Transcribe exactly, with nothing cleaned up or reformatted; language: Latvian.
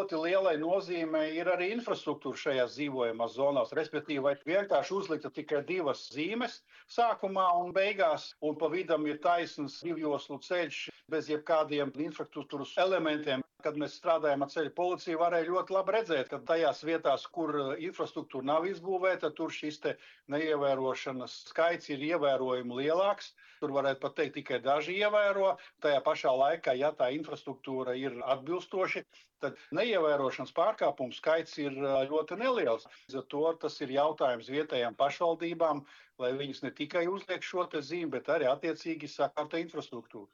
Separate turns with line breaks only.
ļoti lielai nozīmei ir arī infrastruktūra šajās dzīvojamās zonās. Respektīvi, vai vienkārši uzlikta tikai divas zīmes sākumā un beigās, un pa vidam ir taisns divjoslu ceļš bez jebkādiem infrastruktūras elementiem. Kad mēs strādājam ar ceļu policiju, varēja ļoti labi redzēt, ka tajās vietās, kur infrastruktūra nav izbūvēta, tur šis te neievērošanas skaits ir ievērojami lielāks. Tur varētu pat teikt, tikai daži ievēro. Tajā pašā laikā, ja tā infrastruktūra ir atbilstoši, tad neievērošanas pārkāpumu skaits ir ļoti neliels. Līdz ar to tas ir jautājums vietējām pašvaldībām, lai viņas ne tikai uzliek šo te zīmi, bet arī attiecīgi sakārto infrastruktūru.